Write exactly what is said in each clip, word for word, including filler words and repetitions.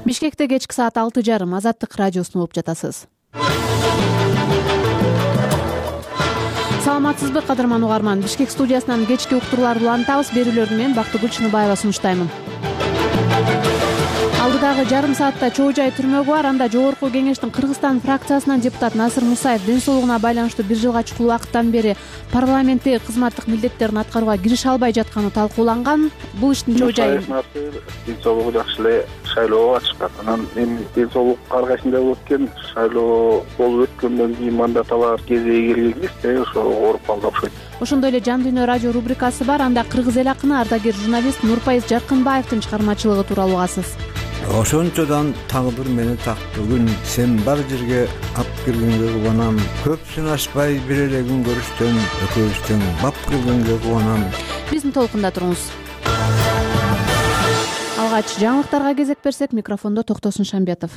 Бишкекте кечки саат алты жарым Азаттык радиосун угуп жатасыз. Саламатсызбы, кадырман угарман. Бишкек студиясынан кечки уктурууларды улантабыз. Берүүлөрдү мен Бактыгүл Чыныбаева сунуштаймын. Алдыдагы жарым саатта Чоо Жай түрмөгү бар. Анда Жогорку Кеңештин Кыргызстан фракциясынан депутат Насыр Мусаев ден соолугуна байланыштуу бир жылга чукул убакыттан бери парламенттеги кызматтык милдеттерин аткарууга киреше албай жатканы талкууланган. Бул иштин Чоо Жай ден соолугу жакшы эле шайлоого катышкан. Анан эми ден соолук ар кайсында болуп өткөн шайлоо болуп өткөндөн кийин мандат алар кезеги келген кезде ошо ооруп калды окшойт. Ошондой эле Жан дүйнө радио рубрикасы бар. Анда кыргыз эл акыны ардагер журналист Нурпайыз Жаркынбаевдин чыгармачылыгы тууралуу угасыз. Ошончодон тагдыр мени так бүгүн сен бар жерге ап киргенге кубанам. Көп сынашпай бир эле күн көрүштөн экөөбүздөн бап киргенге кубанам. Биздин толкунда туруңуз. Алгач жаңылыктарга кезек берсек, микрофондо Токтосун Шамбетов.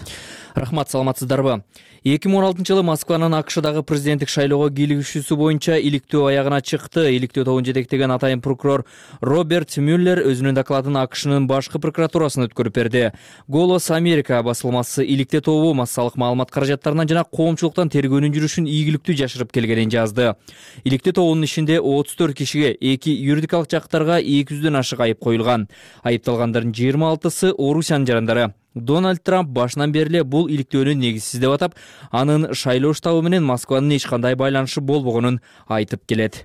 Рахмат, саламатсыздарбы? эки миң он алтынчы жылы Москванын АКШдагы президенттик шайлоого кийлигишүүсү боюнча иликтөө аягына чыкты. Иликтөө тобун жетектеген атайын прокурор Роберт Мюллер өзүнүн докладын АКШнын башкы прокуратурасына өткөрүп берди. Голос Америка басылмасы иликтөө тобу массалык маалымат каражаттарынан жана коомчулуктан тергөөнүн жүрүшүн ийгиликтүү жашырып келгенин жазды. Иликтөө тобунун ишинде отуз төрт кишиге, эки юридикалык жактарга эки жүздөн ашык айып коюлган. Айыпталгандардын жыйырма алтысы Орусиянын жарандары. Дональд Трамп башынан бери бул иликтөөнү негизсиз деп атап, анын шайлоо штабы менен Москванын эч кандай байланышы болбогонун айтып келет.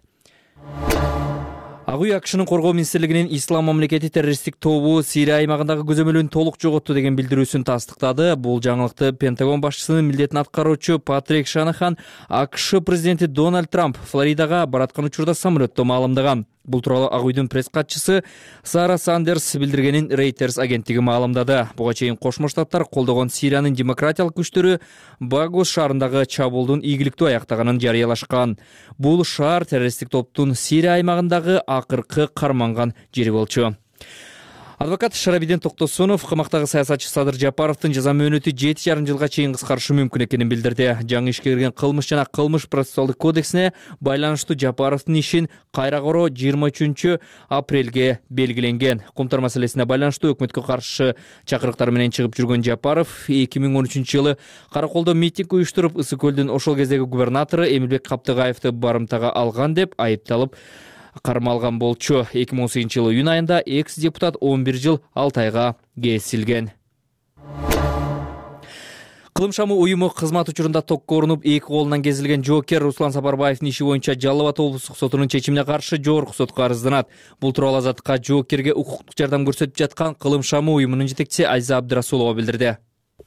Ак үй АКШнын коргоо министрлигинин Ислам мамлекети террористтик тобу Сирия аймагындагы көзөмөлүн толук жоготту деген билдирүүсүн тастыктады. Бул жаңылыкты Пентагон башчысынын милдетин аткаруучу Патрик Шанахан АКШ президенти Дональд Трамп Флоридага бараткан учурда самолетто маалымдаган. Бул тууралуу Ак үйдүн пресс-катчысы Сара Сандерс билдиргенин Reuters агенттиги маалымдады. Буга чейин Кошмо Штаттар колдогон Сириянын демократиялык күчтөрү Багус шаарындагы чабуулдун ийгиликтүү аяктаганын жарыялашкан. Бул шаар террористтик топтун Сирия аймагындагы акыркы карманган жери болчу. Адвокат Шарабиден Токтосунов камактагы саясатчы Садыр Жапаровдун жаза мөөнөтү жети жарым жылга чейин кыскарышы мүмкүн экенин билдирди. Жаңы ишке кирген кылмыш жана кылмыш процессуалдык кодексине байланыштуу Жапаровдун ишин кайра кароо жыйырма үчүнчү апрелге белгиленген. Кумтар маселесине байланыштуу өкмөткө каршы чакырыктар менен чыгып жүргөн Жапаров эки миң он үчүнчү жылы Караколдо митинг уюштуруп, Ысык көлдүн ошол кездеги губернатору Эмилбек Каптыгаевди барымтага алган деп айыпталып кармалган болчу. эки миң он сегизинчи жылы июнь айында экс-депутат он бир жыл алты айга кесилген. Кылым шамы уюму кызмат учурунда токко урунуп, эки колунан кезилген жоокер Руслан Сапарбаевдин иши боюнча Жалал Абад облустук сотунун чечимине каршы жогорку сотко арызданат. Бул тууралуу Азаттыкка жоокерге укуктук жардам көрсөтүп жаткан Кылым шамы уюмунун жетекчиси Айза Абдырасулова билдирди.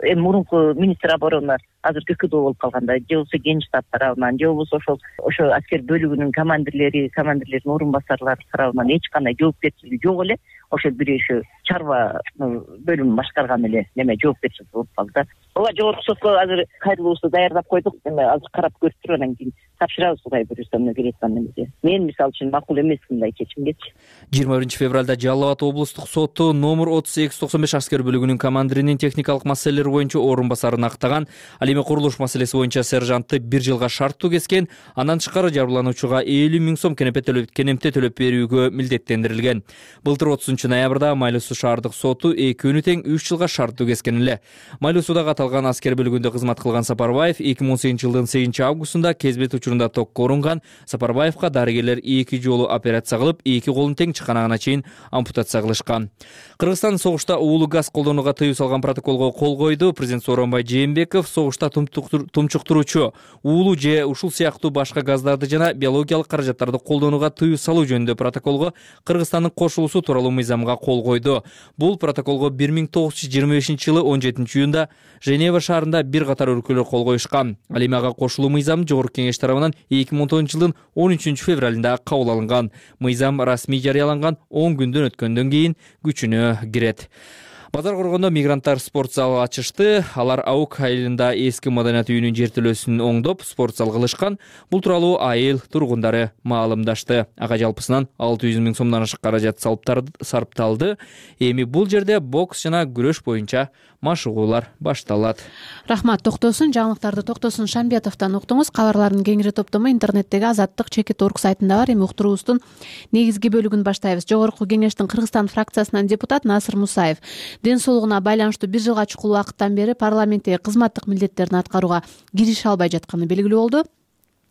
Эми мурунку министр обороны азыр ККД болуп калганда, же болбосо Генштаб тарабынан, же болбосо ошол ошо аскер бөлүгүнүн командирлери, командирлердин орун басарлары тарабынан эч кандай жоопкерчилиги жок эле. Ошол бир ошо чарба бөлүмүн башкарган эле неме жоопкерчилик болуп калды да. Ооба жогорку сотко азыр кайрылуубузду даярдап койдук. Эми азыр карап көрүп туруп анан кийин тапшырабыз, Кудай буюрса, мына келаткан эмеде. Мен мисалы үчүн макул эмес мындай чечимгечи. жыйырма биринчи февралда Жалал Абад облустук соту номер отуз эки токсон беш аскер бөлүгүнүн командиринин техникалык маселелер боюнча орун басарын актаган, ал эми курулуш маселеси боюнча сержантты бир жылга шарттуу кескен, андан тышкары жабырлануучуга элүү миң сом кенепе төлөп кенемте төлөп берүүгө милдеттендирилген. Былтыр отузунчу ноябрда Майлуу Суу шаардык соту экөөнү тең үч жылга шарттуу кескен эле. Майлуу Сууда каталган аскер бөлүгүндө кызмат кылган Сапарбаев эки миң он сегизинчи жылдын сегизинчи августунда кезбет учурунда токко урунган. Сапарбаевга дарыгерлер эки жолу операция кылып, эки колун тең чыканагына чейин ампутация кылышкан. Кыргызстан согушта уулуу газ колдонууга тыюу салган протоколго кол койду. Президент Сооронбай Жээнбеков согушта тумчуктуруучу уулуу же ушул сыяктуу башка газдарды жана биологиялык каражаттарды колдонууга тыюу салуу жөнүндө протоколго Кыргызстандын кошулуусу тууралуу мыйзамга кол койду. Бул протоколго бир миң тогуз жүз жыйырма бешинчи жылы он жетинчи июнда Женева шаарында бир катар өлкөлөр кол коюшкан. Ал эми ага кошулуу мыйзам Жогорку Кеңеш тарабынан эки миң он тогузунчу жылдын он үчүнчү февралында кабыл алынган. Мыйзам расмий жарыяланган он күндөн өткөндөн кийин күчүнө кирет. Базар коргондо мигранттар спорт залы ачышты. Алар Аук айылында эски маданият үйүнүн жертөлөсүн оңдоп, спорт зал кылышкан. Бул тууралуу айыл тургундары маалымдашты. Ага жалпысынан алты жүз миң сомдон ашык каражат сарпталды. Эми бул жерде бокс жана күрөш боюнча машыгуулар башталат. Рахмат, Токтосун. Жаңылыктарды Токтосун Шамбетовдон уктуңуз. Кабарлардын кеңири топтому интернеттеги азаттык чекит точка орг сайтында бар. Эми уктуруубуздун негизги бөлүгүн баштайбыз. Жогорку Кеңештин Кыргызстан фракциясынан депутат Насыр Мусаев ден соолугуна байланыштуу бир жылга чукул убакыттан бери парламенттеги кызматтык милдеттерин аткарууга кирише албай жатканы белгилүү болду.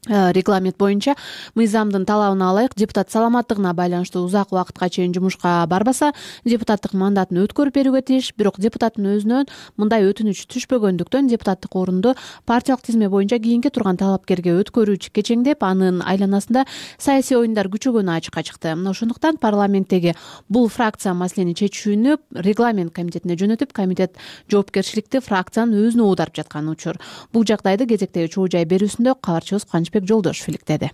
Регламент боюнча мыйзамдын талабына ылайык депутат саламаттыгына байланыштуу узак убакытка чейин жумушка барбаса депутаттык мандатын өткөрүп берүүгө тийиш. Бирок депутаттын өзүнөн мындай өтүнүч түшпөгөндүктөн депутаттык орунду партиялык тизме боюнча кийинки турган талапкерге өткөрүүчү кечеңдеп, анын айланасында саясий оюндар күчөгөнү ачыкка чыкты. Ошондуктан парламенттеги бул фракция маселени чечүүнү регламент комитетине жөнөтүп, комитет жоопкерчиликти фракциянын өзүнө уударып жаткан учур. Бул жагдайды кезектеги чоо жай берүүсүндө кабарчыбыз Кубанычбек Жолдошев иликтеди.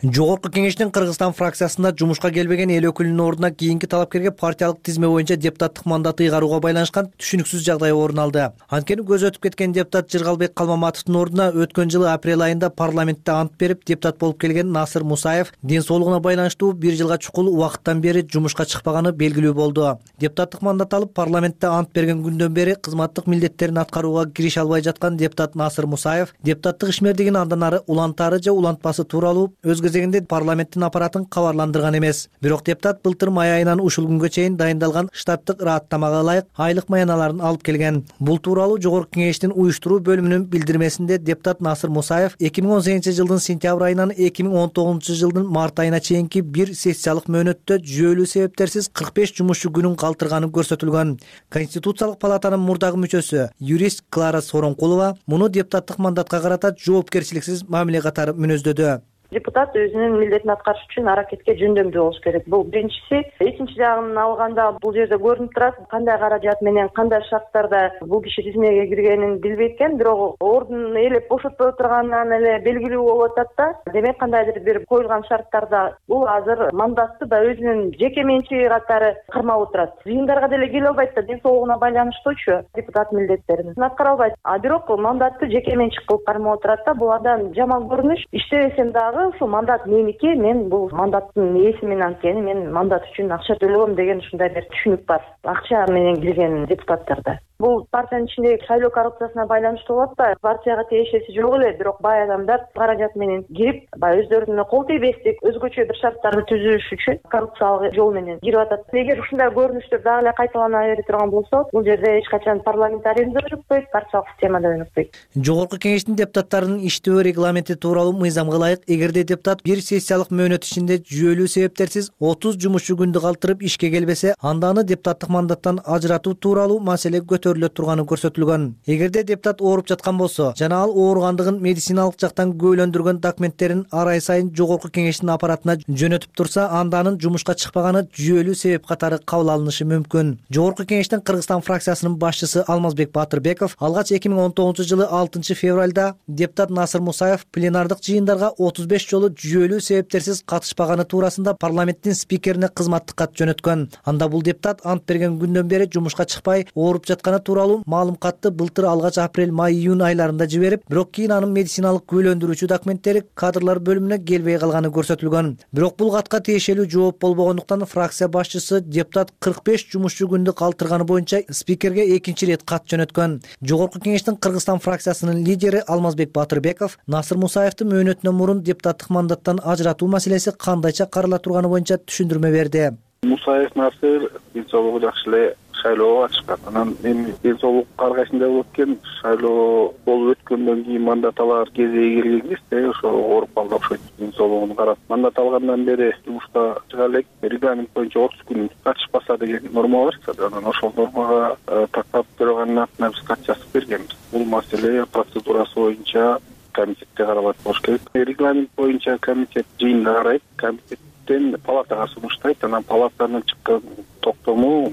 Жогорку кеңештин Кыргызстан фракциясында жумушка келбеген эл өкүлүнүн ордуна кийинки талапкерге партиялык тизме боюнча депутаттык мандатты ыйгарууга байланышкан түшүнүксүз жагдай орун алды. Анткени көзү өтүп кеткен депутат Жыргалбек Калмаматовдун ордуна өткөн жылы апрель айында парламентте ант берип депутат болуп келген Насыр Мусаев ден соолугуна байланыштуу бир жылга чукул убакыттан бери жумушка чыкпаганы белгилүү болду. Депутаттык мандат алып парламентте ант берген күндөн бери кызматтык милдеттерин аткарууга кирише албай жаткан депутат Насыр Мусаев депутаттык ишмердигин андан ары улантаары же улантпасы тууралуу өз кезегинде парламенттин аппаратын кабарландырган эмес. Бирок депутат былтыр май айынан ушул күнгө чейин дайындалган штаттык ырааттамага ылайык айлык маяналарын алып келген. Бул тууралуу Жогорку кеңештин уюштуруу бөлүмүнүн билдирмесинде депутат Насыр Мусаев эки миң он сегизинчи жылдын сентябрь айынан эки миң он тогузунчу жылдын март айына чейинки бир сессиялык мөөнөттө жүйөлүү себептерсиз кырк беш жумушчу күнүн калтырганы көрсөтүлгөн. Конституциялык палатанын мурдагы мүчөсү юрист Клара Сооронкулова муну депутаттык мандатка карата жоопкерчиликсиз мамиле катары мүнөздөдү. Депутат өзүнүн милдетин аткарыш үчүн аракетке жөндөмдүү болуш керек. Бул биринчиси. Экинчи жагын алганда бул жерде көрүнүп турат, кандай каражат менен, кандай шарттарда бул киши тизмеге киргенин билбейт экен, бирок ордун ээлеп бошотпой турганынан эле белгилүү болуп атат да. Демек кандайдыр бир коюлган шарттарда бул азыр мандатты да өзүнүн жеке менчиги катары кармап отурат. Жыйындарга деле келе албайт да, ден соолугуна байланыштуучу депутат милдеттерин аткара албайт. А бирок мандатты жеке менчик кылып кармап отурат да. Бул абдан жаман көрүнүш. Иштебесем дагы ушул мандат меники, мен бул мандаттын ээсимин, анткени мен мандат үчүн акча төлөгөм деген ушундай бир түшүнүк бар акча менен кирген депутаттарда. Бул партиянын ичиндеги шайлоо коррупциясына байланыштуу болуп атпайбы? Партияга тиешеси жок эле, бирок бай адамдар каражат менен кирип, баягы өздөрүнө кол тийбестик, өзгөчө бир шарттарды түзүш үчүн коррупциялык жол менен кирип атат. Эгер ушундай көрүнүштөр дагы эле кайталана бере турган болсо, бул жерде эч качан парламентаризм да өнүкпөйт, партиялык система да өнүкпөйт. Жогорку кеңештин депутаттарынын иштөө регламенти тууралуу мыйзамга ылайык, эгерде депутат бир сессиялык мөөнөт ичинде жүйөлүү себептерсиз отуз жумушчу күндү калтырып ишке келбесе, анда аны депутаттык мандаттан ажыратуу тууралуу маселе көтөрүлө турганы көрсөтүлгөн. Эгерде депутат ооруп жаткан болсо жана ал ооругандыгын медициналык жактан күбөлөндүргөн документтерин ар ай сайын Жогорку кеңештин аппаратына жөнөтүп турса, анда анын жумушка чыкпаганы жүйөлүү себеп катары кабыл алынышы мүмкүн. Жогорку кеңештин Кыргызстан фракциясынын башчысы Алмазбек Батырбеков алгач эки миң он тогузунчу жылы алтынчы февралда депутат Насыр Мусаев пленардык жыйындарга отуз беш жолу жүйөлүү себептерсиз катышпаганы туурасында парламенттин спикерине кызматтык кат жөнөткөн. Анда бул депутат ант берген күндөн бери жумушка чыкпай ооруп жатканы тууралуу маалым катты былтыр алгач апрель, май, июнь айларында жиберип, бирок кийин анын медициналык күбөлөндүрүүчү документтери кадрлар бөлүмүнө келбей калганы көрсөтүлгөн. Бирок бул катка тиешелүү жооп болбогондуктан фракция башчысы депутат кырк беш жумушчу күндү калтырганы боюнча спикерге экинчи ирет кат жөнөткөн. Жогорку кеңештин Кыргызстан фракциясынын лидери Алмазбек Батырбеков Насыр Мусаевдин мөөнөтүнөн мурун депутаттык мандаттан ажыратуу маселеси кандайча карала турганы боюнча түшүндүрмө берди. Мусаев Насыр ден соолугу жакшы эле шайлоого чыккан. Анан эми ден соолук аркасында болуп экен, шайлоо болуп өткөндөн кийин мандат алар кезеги келген кезде ошо ооруп калды окшойт. Ден соолугун карап, мандат алгандан бери жумушка чыга элек, регламент боюнча отуз күн катышпаса деген норма бар. Анан ошол нормага тактап турганын атына биз кат жазып бергенбиз. Бул маселе процедурасы боюнча комитетте каралат болуш керек. Регламент боюнча комитет жыйында карайт, комитеттен палатага сунуштайт, анан палатанын чыккан токтому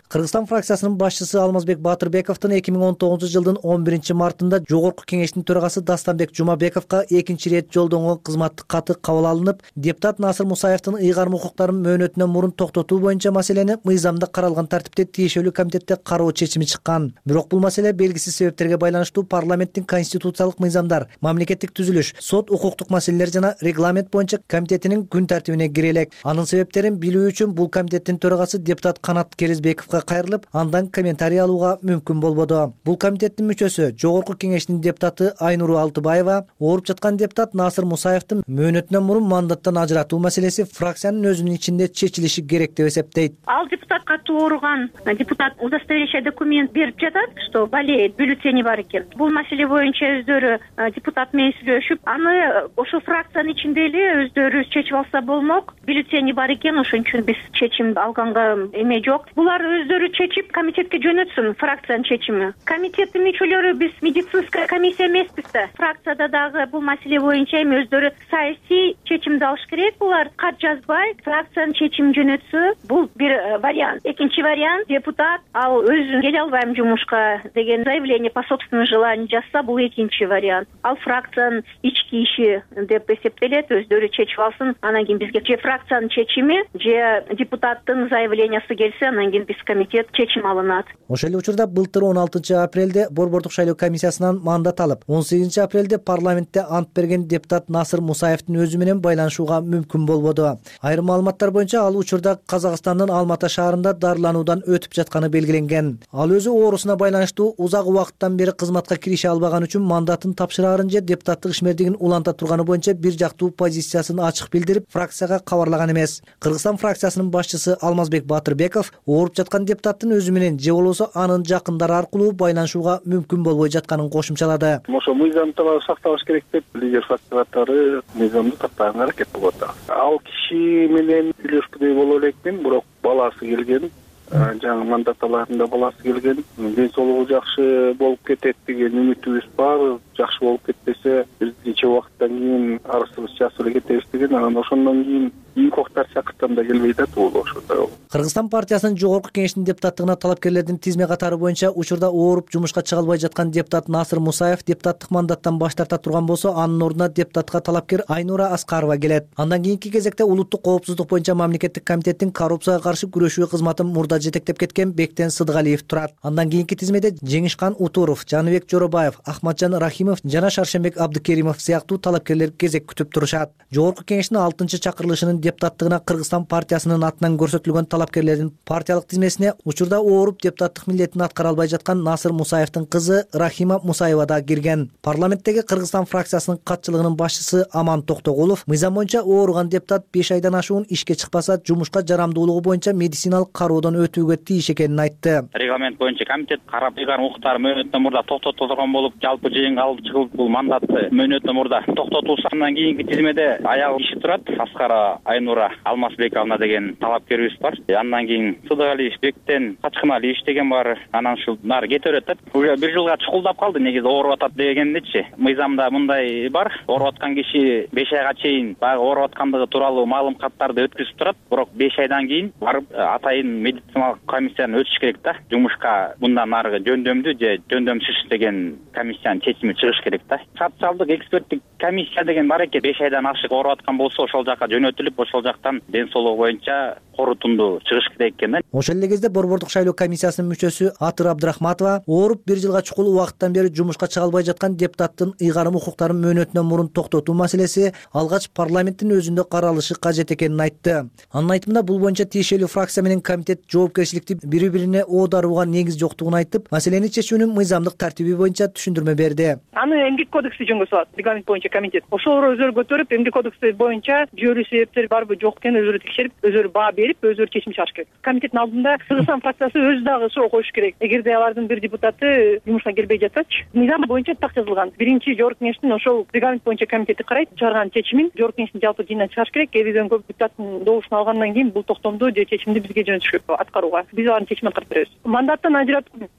Кыргызстан фракциясынын башчысы Алмазбек Батырбековдун эки миң он тогузунчу жылдын он биринчи мартында Жогорку кеңештин төрагасы Дастанбек Жумабековго экинчи ирет жолдонгон кызматтык каты кабыл алынып, депутат Насыр Мусаевдин ыйгарым укуктарын мөөнөтүнөн мурун токтотуу боюнча маселени мыйзамда каралган тартипте тиешелүү комитетте кароо чечими чыккан. Бирок бул маселе белгисиз себептерге байланыштуу парламенттин конституциялык мыйзамдар, мамлекеттик түзүлүш, сот укуктук маселелер жана регламент боюнча комитетинин күн тартибине кире элек. Анын себептерин билүү үчүн бул комитеттин төрагасы депутат Канат Керизбековго кайрылып, андан комментарий алууга мүмкүн болбоду. Бул комитеттин мүчөсү, Жогорку Кеңештин депутаты Айнура Алтыбаева ооруп жаткан депутат Насыр Мусаевдин мөөнөтүнөн мурун мандаттан ажыратуу маселеси фракциянын өзүнүн ичинде чечилиши керек деп эсептейт. Ал депутат катуу ооруган депутат удостоверяющий документ берип жатат, что болеет, бюллетени бар экен. Бул маселе боюнча өздөрү депутат менен сүйлөшүп, аны ошол фракциянын ичинде эле өздөрү чечип алса болмок. Бюллетени бар экен, ошон үчүн биз чечим алганга эме жок. Булар өздөрү чечип комитетке жөнөтсүн, фракциянын чечими. Комитеттин мүчөлөрү биз медицинская комиссия эмеспиз да. Фракцияда дагы бул маселе боюнча эми өздөрү саясий чечимди алыш керек. Булар кат жазбай, фракциянын чечимин жөнөтсө, бул бир вариант. Экинчи вариант, депутат ал өзүн келе албайм жумушка деген заявление по собственному желанию жазса, бул экинчи вариант. Ал фракциянын ички иши деп эсептелет, өздөрү чечип алсын. Анан кийин бизге же фракциянын чечими, же депутаттын заявлениясы келсе, анан кийин биз комитет чечим алынат. Ошол эле учурда былтыр он алтынчы апрелде Борбордук шайлоо комиссиясынан мандат алып, он сегизинчи апрелде парламентте ант берген депутат Насыр Мусаевдин өзү менен байланышууга мүмкүн болбоду. Айрым маалыматтар боюнча ал учурда Казакстандын Алматы шаарында дарылануудан өтүп жатканы белгиленген. Ал өзү оорусуна байланыштуу узак убакыттан бери кызматка кирише албаган үчүн мандатын тапшырарын же депутаттык ишмердигин уланта турганы боюнча бир жактуу позициясын ачык билдирип, фракцияга кабарлаган эмес. Кыргызстан фракциясынын башчысы Алмазбек Батырбеков ооруп жаткан депутаттын өзү менен же болбосо анын жакындары аркылуу байланышууга мүмкүн болбой жатканын кошумчалады. Ошо мыйзам талабын сакталыш керек деп лидер фракция катары мыйзамды тактаганга аракет кылып атат. Ал киши менен сүйлөшкүдөй боло элекмин, бирок баласы келген, жаңы мандатталарында баласы келген, ден соолугу жакшы болуп кетет деген үмүтүбүз бар. Жакшы болуп кетпесе, биз нече убакыттан кийин арызыбыз жазып эле кетебиз деген. Анан ошондон кийин инкоктар чакыртсам да келбей атат бул ошондой. Кыргызстан партиясынын Жогорку Кеңештин депутаттыгына талапкерлердин тизме катары боюнча учурда ооруп жумушка чыга албай жаткан депутат Насыр Мусаев депутаттык мандаттан баш тарта турган болсо, анын ордуна депутатка талапкер Айнура Аскарова келет. Андан кийинки кезекте улуттук коопсуздук боюнча мамлекеттик комитеттин коррупцияга каршы күрөшүү кызматын мурда жетектеп кеткен Бектен Сыдыгалиев турат. Андан кийинки тизмеде Жеңишкан Утуров, Жаныбек Жоробаев, Ахматжан Рахимов жана Шаршембек Абдыкеримов сыяктуу талапкерлер кезек күтүп турушат. Жогорку Кеңештин алтынчы чакырылышынын депутаттыгына Кыргызстан партиясынын атынан көрсөтүлгөн талапкерлердин партиялык тизмесине учурда ооруп депутаттык милдетин аткара албай жаткан Насыр Мусаевдин кызы Рахима Мусаева да кирген. Парламенттеги Кыргызстан фракциясынын катчылыгынын башчысы Аман Токтогулов мыйзам боюнча ооруган депутат беш айдан ашуун ишке чыкпаса, жумушка жарамдуулугу боюнча медициналык кароодон өтүүгө тийиш экенин айтты. Регламент боюнча комитет карап ыйгарым укуктары мөөнөтүнөн мурда токтотулган болуп, жалпы жыйынга алып чыгылып, бул мандатты мөөнөтүнөн мурда токтотулса, андан кийинки тизмеде аял киши турат. Аскара Айнура Алмазбековна деген талапкерибиз бар. Андан кийин Сыдыгалиев, Бектен Качкыналиев деген бар. Анан ушул нары кете берет. Уже бир жылга чукулдап калды, негизи ооруп атат дегендечи. Мыйзамда мындай бар. Ооруп аткан киши беш айга чейин баягы ооруп аткандыгы тууралуу маалым каттарды өткүзүп турат. Бирок беш айдан кийин барып атайын медициналык комиссияны өтүш керек да. Жумушка мындан нарыгы жөндөмдүү же жөндөмсүз деген комиссиянын чечими чыгыш керек да. Социалдык эксперттик комиссия деген бар экен. беш айдан ашык ооруп аткан болсо, ошол жака жөнөтүлүп, ошол жактан ден соолугу боюнча корутунду чыгыш керек экен да. Ошол эле кезде Борбордук шайлоо комиссиясынын мүчөсү Атыр Абдрахматова ооруп бир жылга чукул убакыттан бери жумушка чыга албай жаткан депутаттын ыйгарым укуктарын мөөнөтүнөн мурун токтотуу маселеси алгач парламенттин өзүндө каралышы кажет экенин айтты. Анын айтымында бул боюнча тиешелүү фракция менен комитет жоопкерчиликти бири-бирине оодарууга негиз жоктугун айтып, маселени чечүүнүн мыйзамдык тартиби боюнча түшүндүрмө берди. Аны эмгек кодекси жөнгө салат, регламент боюнча комитет. Ошол өзөрү көтөрүп, эмгек кодекси боюнча жүйөлүү себептер барбы жок экенин өзөрү текшерип, өзөрү баа берип, өзөрү чечим чыгарыш керек. Комитеттин алдында Кыргызстан фракциясы өзү дагы суроо коюш керек. Эгерде алардын бир депутаты жумушка келбей жатсачы, мыйзам боюнча так жазылган. Биринчи Жогорку Кеңештин ошол регламент боюнча комитети карайт, чыгарган чечимин Жогорку Кеңештин жалпы жыйынынан чыгарыш керек. Элүүдөн көп депутаттын добушун алгандан кийин бул токтомду же чечимди бизге жөнөтүш керек аткарууга. Биз алардын чечимин аткарып беребиз. Мандаттан ажыратуу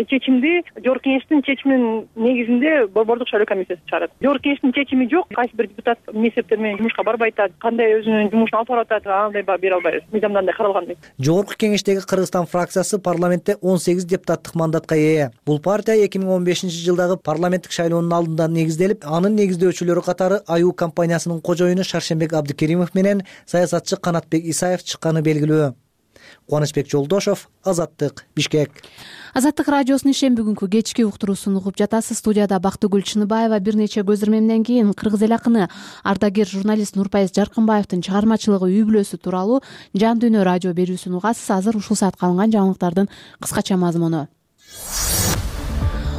чечимди Жогорку Кеңештин чечиминин негизинде Борбордук шайлоо комиссиясы чыгарат. Жогорку Кеңештин чечими жок, кайсы бир депутат эмне себептер менен жумушка барбай атат, кандай өзүнүн жумушун алып барып атат, андай баа бере албайбыз. Мыйзамда андай каралган эмес. Жогорку Кеңештеги Кыргызстан фракциясы парламентте он сегиз депутаттык мандатка ээ. Бул партия эки миң он бешинчи жылдагы парламенттик шайлоонун алдында негизделип, анын негиздөөчүлөрү катары Аюу компаниясынын кожоюну Шаршембек Абдыкеримов менен саясатчы Канатбек Исаев чыкканы белгилүү. Кубанычбек Жолдошов, Азаттык, Бишкек. Азаттык радиосунун ишен бүгүнкү кечки уктуруусун угуп жатасыз. Студияда Бактыгүл Чыныбаева. Бир нече көз ирмемден кийин кыргыз эл акыны, ардагер журналист Нурпайыз Жаркынбаевдин чыгармачылыгы үй бүлөсү тууралуу Жан Дүйнө радио берүүсүн угасыз. Азыр ушул саатка алынган жаңылыктардын кыскача мазмуну.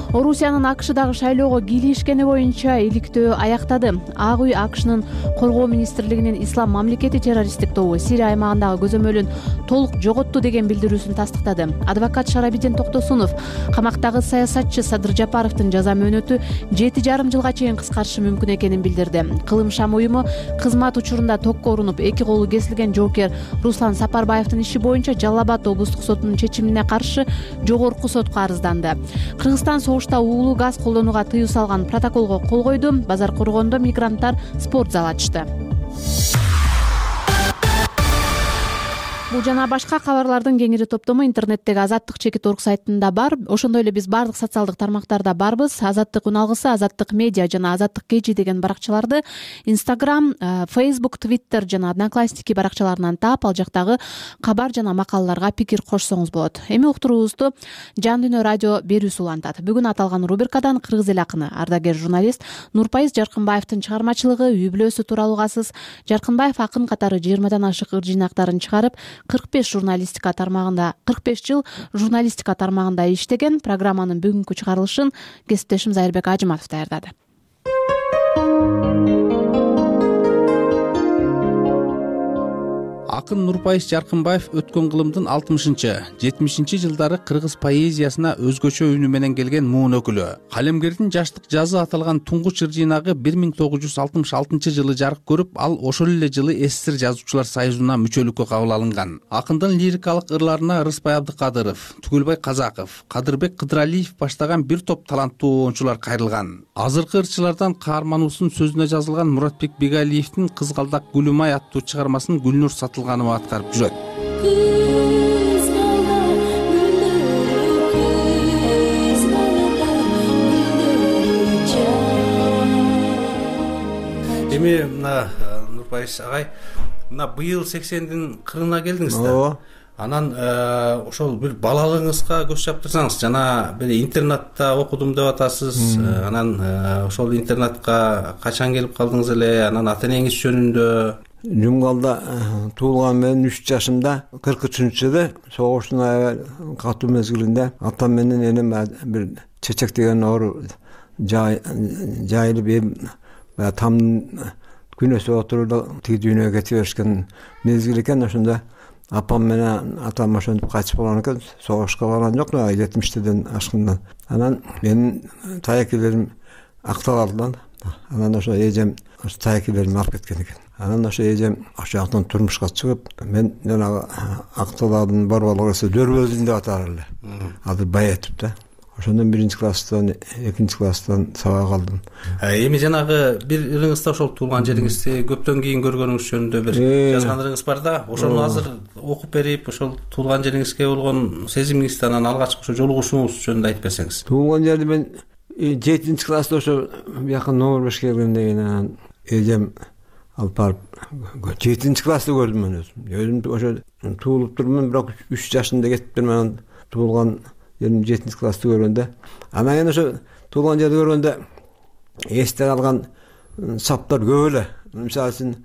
Орусиянын АКШдагы шайлоого кийлигишкени боюнча иликтөө аяктады. Ак үй АКШнын коргоо министрлигинин Ислам мамлекети террористтик тобу Сирия аймагындагы көзөмөлүн толук жоготту деген билдирүүсүн тастыктады. Адвокат Шарабидин Токтосунов камактагы саясатчы Садыр Жапаровдун жаза мөөнөтү жети жарым жылга чейин кыскартышы мүмкүн экенин билдирди. Кылым Шам уюму кызмат учурунда токко урунуп эки колу кесилген жоокер Руслан Сапарбаевдин иши боюнча Жалал Абад облустук сотунун чечимине каршы жогорку сотко арызданды. Кыргызстан согушта уулуу газ колдонууга тыюу салган протоколго кол койду. Базар коргондо мигранттар спорт зал ачты. Бул жана башка кабарлардын кеңири топтому интернеттеги Азаттык чекит орг сайтында бар. Ошондой эле биз баардык социалдык тармактарда барбыз. Азаттык үн алгысы, Азаттык медиа жана Азаттык кежи деген баракчаларды Instagram, Facebook, Twitter жана Одноклассники баракчаларынан таап, ал жактагы кабар жана макалаларга пикир кошсоңуз болот. Эми уктуруубузду Жан Дүйнө радио берүүсү улантат. Бүгүн аталган рубрикадан кыргыз эл акыны, ардагер журналист Нурпайыз Жаркынбаевдин чыгармачылыгы үй бүлөсү тууралуу угасыз. Жаркынбаев акын катары жыйырмадан ашык ыр жыйнактарын чыгарып, кырк беш журналистика тармагында кырк беш жыл журналистика тармагында иштеген. Программанын бүгүнкү чыгарылышын кесиптешим Зайырбек Ажыматов даярдады. Акын Нурпайыз Жаркынбаев өткөн кылымдын алтымышынчы жетимишинчи жылдары кыргыз поэзиясына өзгөчө үнү менен келген муун өкүлү. Калемгердин жаштык жазы аталган туңгуч ыр жыйнагы бир миң тогуз жүз алтымыш алтынчы жылы жарык көрүп, ал ошол эле жылы СССР жазуучулар союзуна мүчөлүккө кабыл алынган. Акындын лирикалык ырларына Рыспай Абдыкадыров, Түгөлбай Казаков, Кадырбек Кыдыралиев баштаган бир топ таланттуу оончулар кайрылган. Азыркы ырчылардан каармануусунун сөзүнө жазылган Муратбек Бегалиевдин Кызгалдак Гүлүмай аттуу чыгармасын Гүлнур Сатылганова аткарып жүрөт. Эми мына Нурпайыз агай, мына быйыл сексендин кырына келдиңиз да. Анан ошол бир балалыгыңызга көз чаптырсаңыз, жана бир интернатта окудум деп атасыз. Анан ошол интернатка качан келип калдыңыз эле? Анан ата энеңиз жөнүндө? Жумгалда туулган мен үч жашымда кырк үчүнчү жылы согуштун аябай катуу мезгилинде атам менен энем бир чечек деген оору жайылып эм там күнөсү отуруп тиги дүйнөгө кете беришкен мезгил экен. Ошондо апам менен атам ошентип кайтып калган экен. Согушка барган жок, жетимиштеден ашкындан. Анан менин таякилерим акталалды. Анан ошо эжем ошо таякилеримди алып кеткен экен. Анан ошо эжем ошол жактан турмушка чыгып, мен жанагы акталардын борборлугу Дөрбөлдүн деп аталар эле. Азыр Баятып да. Ошондон биринчи класстан, экинчи класстан сабак алдым. Эми жанагы бир ырыңызда ошол туулган жериңизди көптөн кийин көргөнүңүз жөнүндө бир жазган ырыңыз бар да. Ошону азыр окуп берип, ошол туулган жериңизге болгон сезимиңизди, анан алгачкы ошо жолугушууңуз жөнүндө айтып берсеңиз. Туулган жерди мен жетинчи класста ошо бияка номер бешке келгенден кийин анан эжем алып барып жетинчи класста көрдүм мен өзүм. Өзүм ошо туулуп турмун, бирок үч жашымда кетиптир. Анан туулган жерим жетинчи класста көргөндө, анан кийин ошо туулган жерди көргөндө эсте калган саптар көп эле. Мисалы үчүн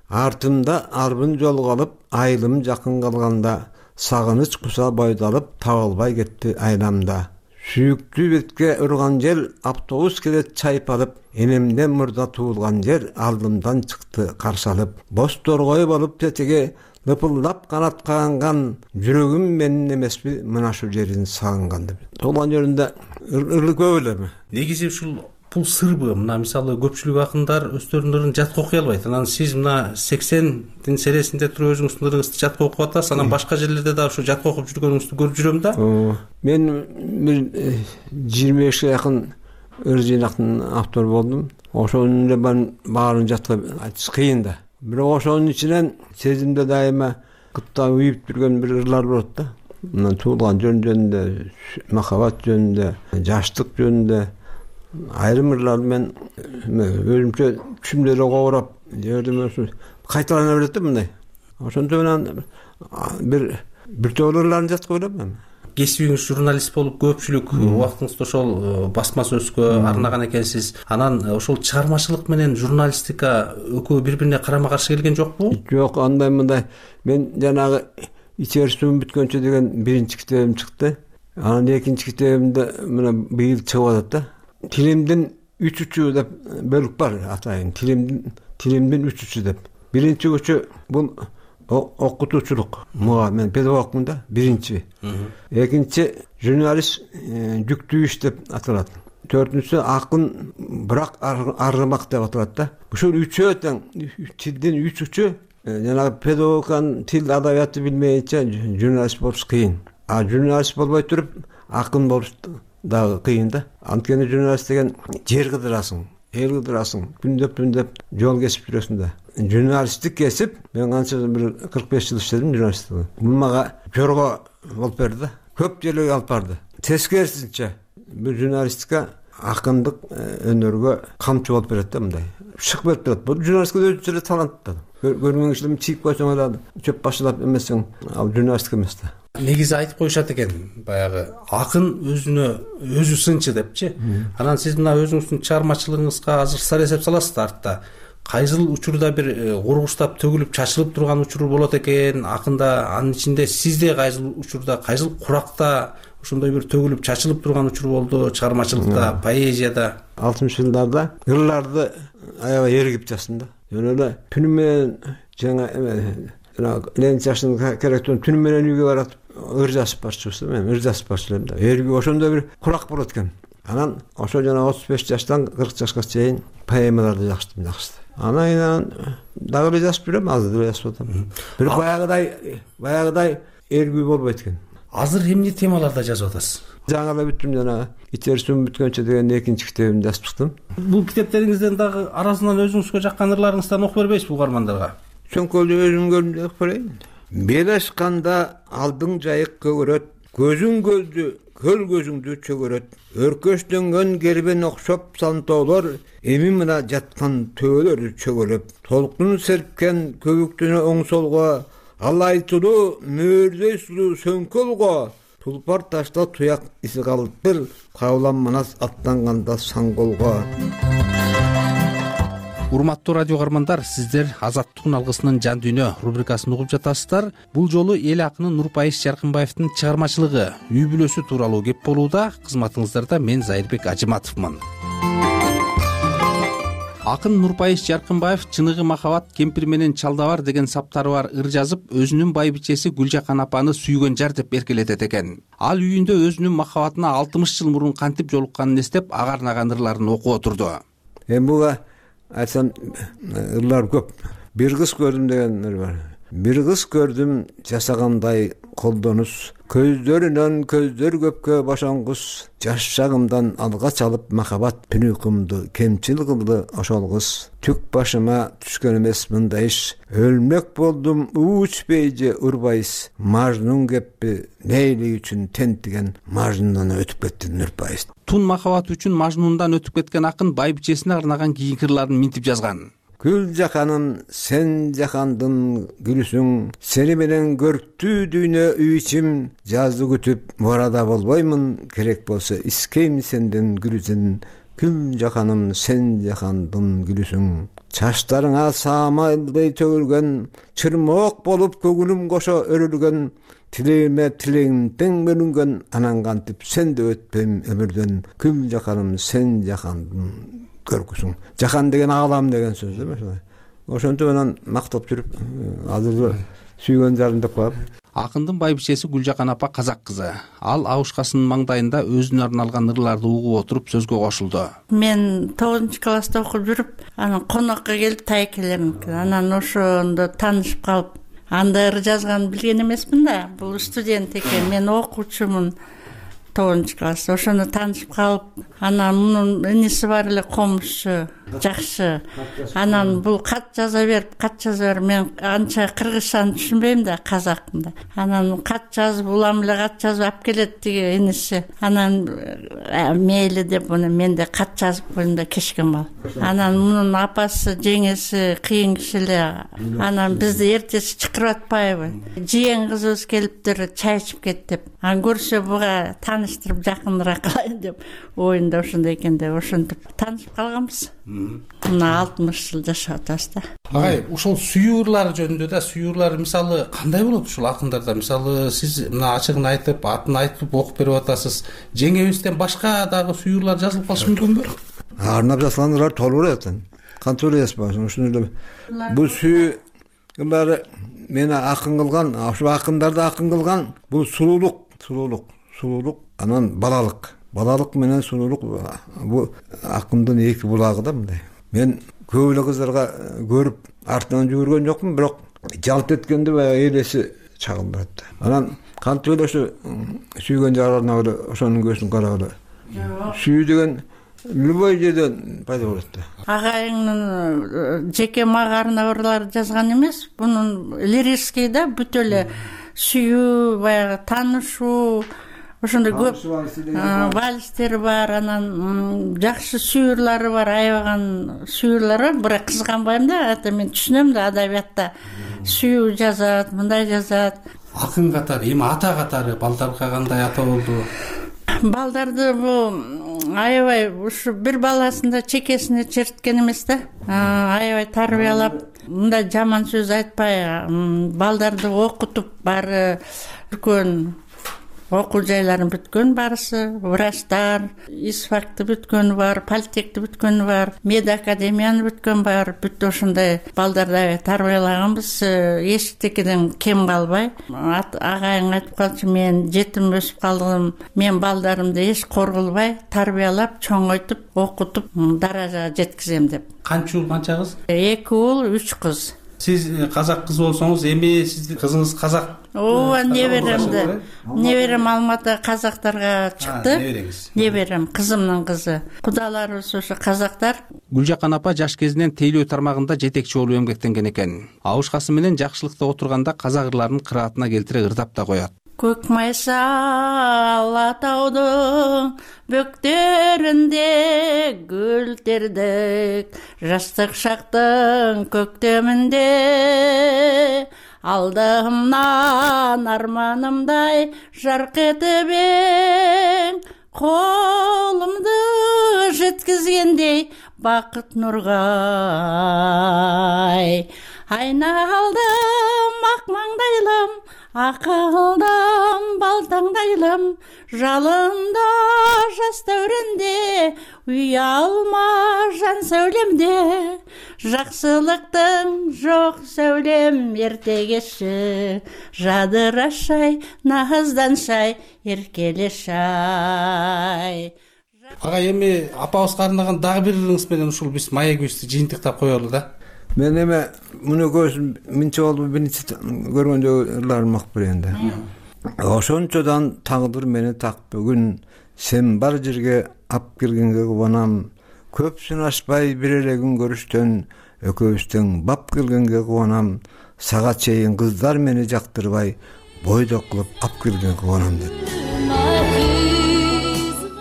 артымда арбын жол калып, айылым жакын калганда, сагыныч куса бойдалып, табылбай кетти айламда. Сүйүктүү бетке урган жел, автобус келет чайпалып, энемден мурда туулган жер алдымдан чыкты каршы алып. Боз торгой болуп тетеге лыпылдап канат каганган, жүрөгүм менин эмеспи мына ушул жерин сагынган деп. Туулган жеринде ырлы көп эле. Негизи ушул бул сырбы? Мына мисалы көпчүлүк акындар өздөрүнүн ырын жатка окуй албайт. Анан сиз мына сексендин сересинде туруп өзүңүздүн ырыңызды жатка окуп атасыз. Анан башка жерлерде да ушул жатка окуп жүргөнүңүздү көрүп жүрөм да. Мен бир жыйырма бешке жакын ыр жыйнактын автору болдум. Ошонун эле баарын жатка айтыш кыйын да. Бирок ошонун ичинен сезимде дайыма кытта уюп жүргөн бир ырлар болот да. Мына туулган жөнүндө, махабат жөнүндө, жаштык жөнүндө айрым ырлар мен өзүмчө түшүмдөргө кобурап жердим, кайталана берет да мындай. Ошондо менен бир биртөө ырларын жаткы ойлойм. Кесибиңиз журналист болуп көпчүлүк убактыңызды ошол басма сөзгө арнаган экенсиз. Анан ошол чыгармачылык менен журналистика экөө бири бирине карама каршы келген жокпу? Жок, андай мындай. Мен жанагы ичер суум бүткөнчө деген биринчи китебим чыкты. Анан экинчи китебимде мына быйыл чыгып атат да. Тилимдин үч учу деп бөлүк бар атайын. Тилимдин тилимдин үч учу деп. Биринчи учу бул окутуучулук. Мага мен педагогмун да, биринчи. Экинчи журналист жүктүү иш деп аталат. Төртүнчүсү акын бирок аргымак деп аталат да. Ушул үчөө тең тилдин үч учу. Жанагы педагогдун тил адабиятты билмейинче журналист болуш кыйын. А журналист болбой туруп акын болуш дагы кыйын да. Анткени журналист деген жер кыдырасың, эл кыдырасың, күндөп-күндөп жол кесип жүрөсүң да. Журналисттик кесип, мен канча бир кырк беш жыл иштедим журналисттикте. Бул мага жорго болуп берди да. Көп жерлерге алып барды. Тескерисинче бул журналистика акындык өнөргө камчы болуп берет да мындай. Чыгып берип турат. Бул журналистика өзүнчө талант да. Көргөн кишилер чийип койсоң эле чөп башылап эмесең, ал журналистика эмес да. Негизи айтып коюшат экен, баягы акын өзүнө өзү сынчы депчи. Анан сиз мына өзүңүздүн чыгармачылыгыңызга азыр сар эсеп саласыз да артта. Кайсыл учурда бир кургуштап төгүлүп чачылып турган учур болот экен, акында анын ичинде сизде кайсыл учурда, кайсыл куракта ошондой бир төгүлүп чачылып турган учур болду чыгармачылыкта, поэзияда? алтымыш жылдарда ырларды аябай эргип жаздым да. Жөн эле түнү менен жаңа Ленин жашын керектен түнү менен үйгө барып ыр жазып барчыбыз. Мен ыр жазып барчылам да. Эрги ошондой бир курак болот экен. Анан ошо жана отуз беш жаштан кырк жашка чейин поэмаларды жаздым, жакшы. Анан дагы эле жазып жүрөм, азыр эле жазып атам. Бир баягыдай, баягыдай эргүү болбойт экен. Азыр эмне темаларда жазып атасыз? Жаңы эле бүттүм, жана ичер суум бүткөнчө деген экинчи китебимди жазып чыктым. Бул китептериңизден дагы арасынан өзүңүзгө жаккан ырларыңыздан окуп бербейсизби угармандарга? Чоңкөлдү өзүм көрдүм деп көрөйүн. Бел ашканда алдың жайык көгөрөт, көзүң көлдү, көл көзүңдү чөгөрөт. Өркөштөнгөн кербен окшоп сантоолор, эми мына жаткан төөлөр чөгөлөп. Толкун серпкен көбүктүнө оң солго, ал айтылуу мөөрдөй сулуу сөңкөлго. Тулпар ташта туяк иси калыптыр, кабылан манас аттанганда саңголго. Урматтуу радио угармандар, сиздер Азаттыктын алгысынын жан дүйнө рубрикасын угуп жатасыздар. Бул жолу эл акыны Нурпайыз Жаркынбаевдин чыгармачылыгы, үй бүлөсү тууралуу кеп болууда. Кызматыңыздарда мен Зайырбек Ажыматовмун. Акын Нурпайыз Жаркынбаев чыныгы махабат, кемпир менен чалдабар деген саптары бар ыр жазып, өзүнүн байбичеси Гүлжакан апаны сүйгөн жар деп эркелетет экен. Ал үйүндө өзүнүн махабатына алтымыш жыл мурун кантип жолукканын эстеп, агарнаган ырларын окуп отурду. Эми буга айтсам ырлар көп. Бир кыз көрдүм деген ыр бар. Бир кыз көрдүм жасагандай колдонус, көздөрүнөн көздөр көпкө бошонгус, жаш шагымдан алга чалып махабат түнүкүмдү кемчил кылды ошол кыз. Түк башыма түшкөн эмес мындай иш, өлмөк болдум уучпей же урбайыз, мажнун кеппи Лейли үчүн тентиген мажнундан өтүп кетти Нурпайыз. Тун махабат үчүн мажнундан өтүп кеткен акын байбичесине арнаган кийинки ырларын минтип жазган. Гүлжаканым, сен жакандын гүлүсүң, сени менен көрктүү дүйнө үй ичим, жазды күтүп мурада болбоймун, керек болсо искейм сенден гүлүсүн. Гүлжаканым, сен жакандын гүлүсүң, чачтарыңа саамалдай төгүлгөн, чырмоок болуп көгүнүм кошо өрүлгөн, тилегиме тилегим тең бөлүнгөн, анан кантип сен да өтпөйм өмүрдөн. Гүлжаканым, сен жакандын көркүсүң. Жахан деген аалам деген сөз эмес. Ошентип анан мактап жүрүп, азыр сүйгөн жарым деп коюп. Акындын байбичеси Гүлжакан апа казак кызы. Ал Абушкасынын маңдайында өзүнө арналган ырларды угуп отуруп сөзгө кошулду. Мен тогузунчу класста окуп жүрүп, анан конокко келип тай келем экен. Анан ошондо таанышып калып, анда ыр жазганын билген эмесмин да. Бул студент экен, мен окуучумун тогузунчу класста. Ошондо таанышып калып, анан мунун иниси бар эле комузчу жакшы. Анан бул кат жаза берип, кат жаза берип, мен анча кыргызчаны түшүнбөйм да, казактын да. Анан кат жазып, улам эле кат жазып алып келет тиги иниси. Анан мейли деп муну мен да кат жазып койдум да кечке маал. Анан мунун апасы, жеңеси кыйын киши эле. Анан бизди эртеси чакырып атпайбы? Жиен кызыбыз келиптир, чай ичип кет деп. Анан көрсө буга тааныштырып жакыныраак кылайын деп оюнда ошондой экен деп ошентип таанышып калганбыз. Мына алтымыш жыл жашап атабыз да. Агай, ошол сүйүрлар жөнүндө да, сүйүрлар мисалы кандай болот ушул акындарда? Мисалы сиз мына ачыгын айтып, атын айтып окуп берип атасыз. Жеңебизден башка дагы сүйүрлар жазылып калышы мүмкүнбү? Арнап жазылгандар толук эле. Кантип эле жазбасын? Ушуну бул сүйүрлар мени акын кылган, ошо акындарды акын кылган бул сулуулук, сулуулук, сулуулук, анан балалык. Балалык менен сулуулук бул акындын эки булагы да мындай. Мен көп эле кыздарга көрүп артынан жүгүргөн жокмун, бирок жалт эткенде баягы элеси чагылдырат. Анан кантип эле ошо сүйгөн жарларына эле ошонун көзүн карап эле. Сүйүү деген любой жерден пайда болот да. Агайыңдын жеке мага арнабарлары жазган эмес, бунун лирический да, бүт эле сүйүү, баягы таанышуу, ошондой көп вальстер бар, анан жакшы сүйүрлары бар, аябаган сүйүрлөр бар. Бирок кызганбайм да, ата мен түшүнөм да, адабиятта сүйүү жазат, мындай жазат. Акын катары, эми ата катары балдарга кандай ата болду? Балдарды бул аябай ушу бир баласында чекесине черткен эмес да. Аябай тарбиялап, мындай жаман сөз айтпай, балдарды окутуп, баары үлкөн окуу жайларын бүткөн барысы, врачтар, ИСФАКты бүткөнү бар, политехти бүткөнү бар, медакадемияны бүткөн бар. Бүт ошондой балдарды тарбиялаганбыз, эчтекеден кем калбай. Агайың айтып калчу, мен жетим өсүп калдым, мен балдарымды эч коргулбай, тарбиялап, чоңойтуп, окутуп, даражага жеткизем деп. Канча уул, канча кыз? Эки уул, үч кыз. Сиз казак кызы болсоңуз, эми сиздин кызыңыз казак. Ооба, неберемди. Неберем Алматы казактарга чыкты. Неберем кызымдын кызы. Кудаларыбыз ошо казактар. Гүлжакан апа жаш кезинен тейлөө тармагында жетекчи болуп эмгектенген экен. Абышкасы менен жакшылыкта отурганда казак ырларын кыраатына келтире ырдап да коет. Көк майса ала таудың бөктерінде гүл тердік, жастық шақтың көктемінде алдымнан арманымдай жарқ етіп ең, қолымды жеткізгендей бақыт нұрғай. Айналдым ақ маңдайлым, ақылдым балтаңдайлым, жалында жас дәуренде, ұялма жан сәулемде, жақсылықтың жоқ сәулем ертегеші, жадырашай, назданшай, еркелешай. Ага, эми апабызга арнаган дагы бир ырыңыз менен ушул биз маегибизди жыйынтыктап коелу да. Мен эме муну көзүм минче болду, биринчи көргөндө ырларым ак беренде. Ошончодан тагдыр мени так бүгүн, сен бар жерге ап келгенге кубанам. Көп сынашпай бир эле күн көрүштөн, экөөбүздөн бап келгенге кубанам. Сага чейин кыздар мени жактырбай, бойдок кылып ап келгенге кубанам деп.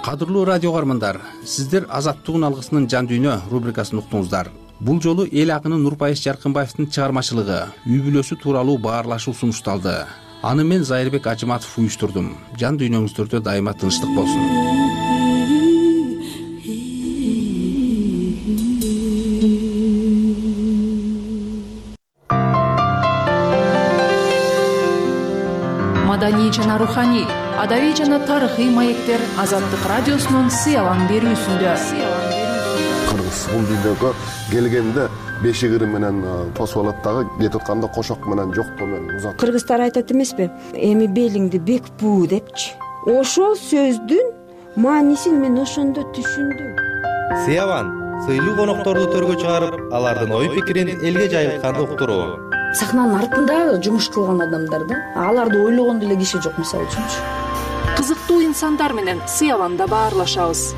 Кадырлуу радио каармандар, сиздер Азаттыгын алгысынын жан дүйнө рубрикасын уктуңуздар. Бул жолу эл акыны Нурпайыш Жаркынбаевдин чыгармачылыгы, үй бүлөсү тууралуу баарлашуу сунушталды. Аны мен Зайырбек Ажыматов уюштурдум. Жан дүйнөңүздөрдө дайыма тынчтык болсун. Маданий жана руханий, адабий жана тарыхый маектер Азаттык радиосунун сыялан берүүсүндө. Кыргыз бул дүйнөгө келгенде бешик ыры менен тосуп алат дагы, кетип атканда кошок менен жоктоо менен узат. Кыргыздар айтат эмеспи? Эми белиңди бек буу депчи. Ошол сөздүн маанисин мен ошондо түшүндүм. Сыялан сыйлуу конокторду төргө чыгарып, алардын ой пикирин элге жайылткан уктуруу. Сахнанын артында жумуш кылган адамдар да, аларды ойлогон деле киши жок, мисалы үчүнчү. Кызыктуу инсандар менен Сыяланда баарлашабыз.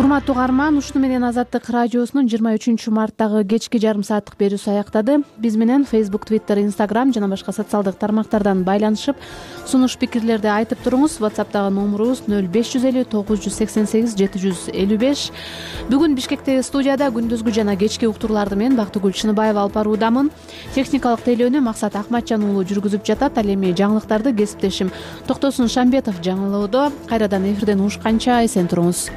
урматтуу угарман, ушуну менен Азаттык радиосунун жыйырма үчүнчү марттагы кечки жарым сааттык берүүсү аяктады. Биз менен Facebook, Twitter, Instagram жана башка социалдык тармактардан байланышып, сунуш пикирлерди айтып туруңуз. WhatsApp'тагы номурубуз нөл беш жүз элүү тогуз жүз сексен сегиз жети жүз элүү беш. Бүгүн Бишкектеги студияда күндүзгү жана кечки уктурларды мен Бактыгүл Чыныбаева алып баруудамын. Техникалык тейлөөнү Максат Акматжан уулу жүргүзүп жатат. Ал эми жаңылыктарды кесиптешим Токтосун Шамбетов жаңылоодо. Кайрадан эфирден угушканча эсен туруңуз.